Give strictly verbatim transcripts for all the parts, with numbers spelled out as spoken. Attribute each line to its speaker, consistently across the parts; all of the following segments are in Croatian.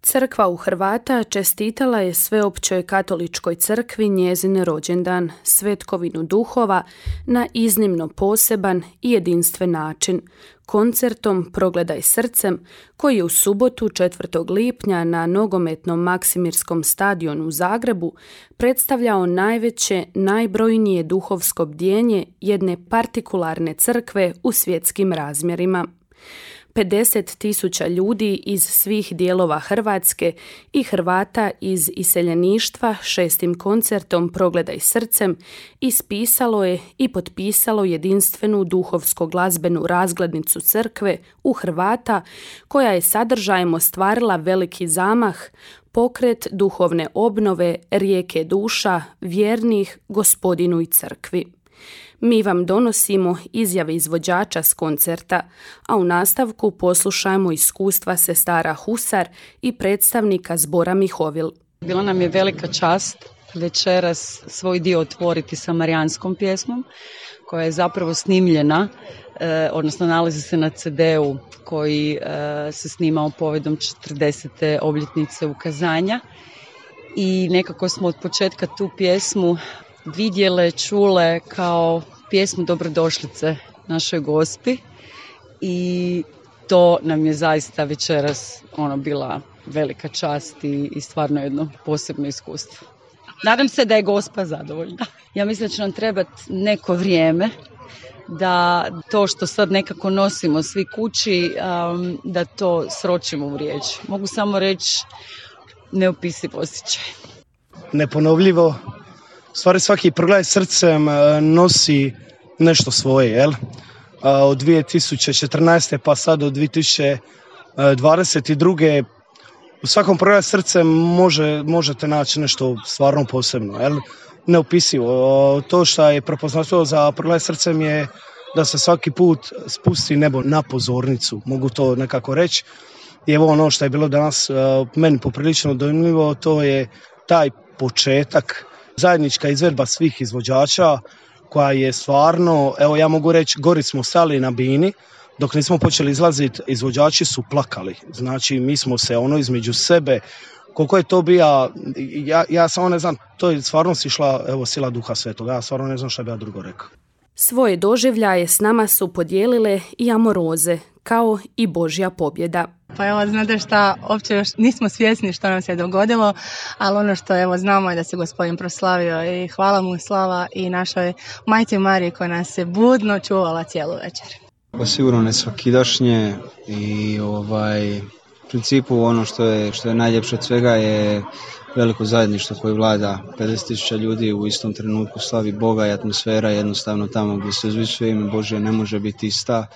Speaker 1: Crkva u Hrvata čestitala je Sveopćoj katoličkoj crkvi njezin rođendan, svetkovinu duhova, na iznimno poseban i jedinstven način, koncertom Progledaj srcem, koji je u subotu četvrtog lipnja na nogometnom Maksimirskom stadionu u Zagrebu predstavljao najveće, najbrojnije duhovsko bdjenje jedne partikularne crkve u svjetskim razmjerima. pedeset tisuća ljudi iz svih dijelova Hrvatske i Hrvata iz iseljeništva šestim koncertom Progledaj srcem ispisalo je i potpisalo jedinstvenu duhovsko-glazbenu razglednicu crkve u Hrvata, koja je sadržajem ostvarila veliki zamah, pokret duhovne obnove rijeke duša vjernih Gospodinu i crkvi. Mi vam donosimo izjave izvođača s koncerta, a u nastavku poslušajmo iskustva sestara Husar i predstavnika zbora Mihovil.
Speaker 2: Bila nam je velika čast večeras svoj dio otvoriti sa marijanskom pjesmom, koja je zapravo snimljena, eh, odnosno nalazi se na ce de u koji eh, se snimao povodom četrdesete obljetnice ukazanja. I nekako smo od početka tu pjesmu vidjele, čule kao pjesmu dobrodošlice našoj Gospi i to nam je zaista večeras ono bila velika čast i, i stvarno jedno posebno iskustvo. Nadam se da je Gospa zadovoljna. Ja mislim da će nam trebati neko vrijeme da to što sad nekako nosimo svi kući, um, da to sročimo u riječi. Mogu samo reći neopisiv osjećaj.
Speaker 3: Neponovljivo. U stvari svaki Progledaj srcem nosi nešto svoje, jel? Od dvije tisuće četrnaeste pa sad do dvije tisuće dvadeset druge u svakom Progledaj srcem može, možete naći nešto stvarno posebno, jel? Neopisivo. To što je prepoznatljivo za Progledaj srcem je da se svaki put spusti nebo na pozornicu, mogu to nekako reći. I evo ono što je bilo danas meni poprilično dojmljivo, to je taj početak, zajednička izvedba svih izvođača koja je stvarno, evo ja mogu reći, gori smo stali na bini, dok nismo počeli izlaziti, izvođači su plakali. Znači mi smo se ono između sebe, koliko je to bija, ja, ja samo ne znam, to je stvarno si išla, evo, sila Duha Svetoga, ja stvarno ne znam šta bi ja drugo rekao.
Speaker 1: Svoje doživljaje s nama su podijelile i amoroze, kao i Božja pobjeda.
Speaker 4: Pa evo, znate šta, uopće još nismo svjesni što nam se dogodilo, ali ono što evo znamo je da se Gospodin proslavio i hvala mu slava i našoj majci Mariji koja nas je budno čuvala cijelu večer.
Speaker 5: Pa sigurno ne svakidašnje i ovaj, u principu ono što je, što je najljepše od svega je veliko zajedništvo koje vlada, pedeset tisuća ljudi u istom trenutku slavi Boga i atmosfera jednostavno tamo gdje se uzvišuje ime Božje ne može biti ista,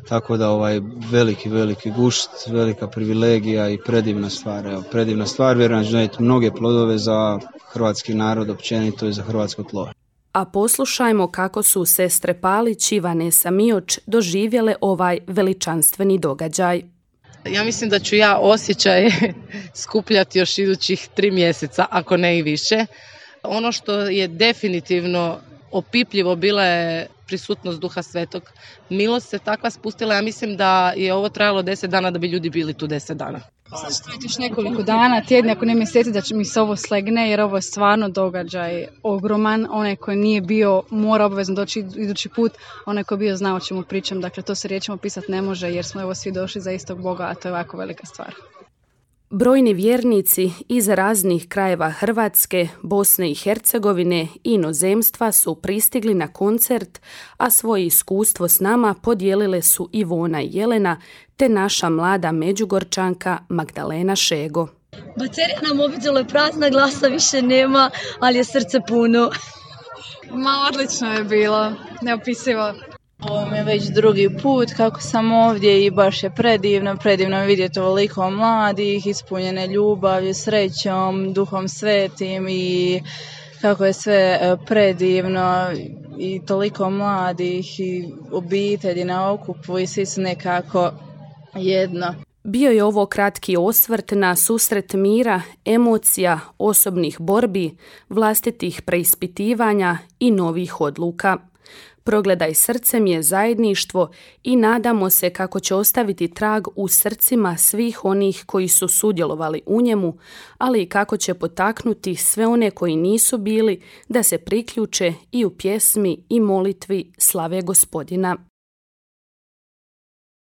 Speaker 5: tako da ovaj veliki, veliki gušt, velika privilegija i predivna stvar, evo, predivna stvar, vjerujem da će donijeti mnoge plodove za hrvatski narod općenito i za hrvatsko tlo.
Speaker 1: A poslušajmo kako su sestre Palić i Vanesa Mioč doživjele ovaj veličanstveni događaj.
Speaker 6: Ja mislim da ću ja osjećaj skupljati još idućih tri mjeseca, ako ne i više. Ono što je definitivno opipljivo bila je prisutnost Duha Svetog. Milost se takva spustila, ja mislim da je ovo trajalo deset dana da bi ljudi bili tu deset dana.
Speaker 7: Sad će trajati još nekoliko dana, tjedni, ako ne mjeseci, da će mi se ovo slegne, jer ovo je stvarno događaj ogroman. Onaj koji nije bio mora obavezno doći idući put, onaj koji je bio zna o čemu pričam. Dakle, to se riječima pisati ne može, jer smo evo svi došli za istog Boga, a to je ovako velika stvar.
Speaker 1: Brojni vjernici iz raznih krajeva Hrvatske, Bosne i Hercegovine i inozemstva su pristigli na koncert, a svoje iskustvo s nama podijelile su Ivona i Jelena, te naša mlada Međugorčanka Magdalena Šego.
Speaker 8: Baterija na mobitelu je prazna, glasa više nema, ali je srce puno.
Speaker 7: Ma, odlično je bilo, neopisivo.
Speaker 9: Ovo mi je već drugi put kako sam ovdje i baš je predivno, predivno je vidjeti ovoliko mladih, ispunjene ljubavlju, srećom, Duhom Svetim i kako je sve predivno i toliko mladih i obitelji na okupu i svi su nekako jedno.
Speaker 1: Bio je ovo kratki osvrt na susret mira, emocija, osobnih borbi, vlastitih preispitivanja i novih odluka. Progledaj srcem je zajedništvo i nadamo se kako će ostaviti trag u srcima svih onih koji su sudjelovali u njemu, ali i kako će potaknuti sve one koji nisu bili da se priključe i u pjesmi i molitvi slave Gospodina.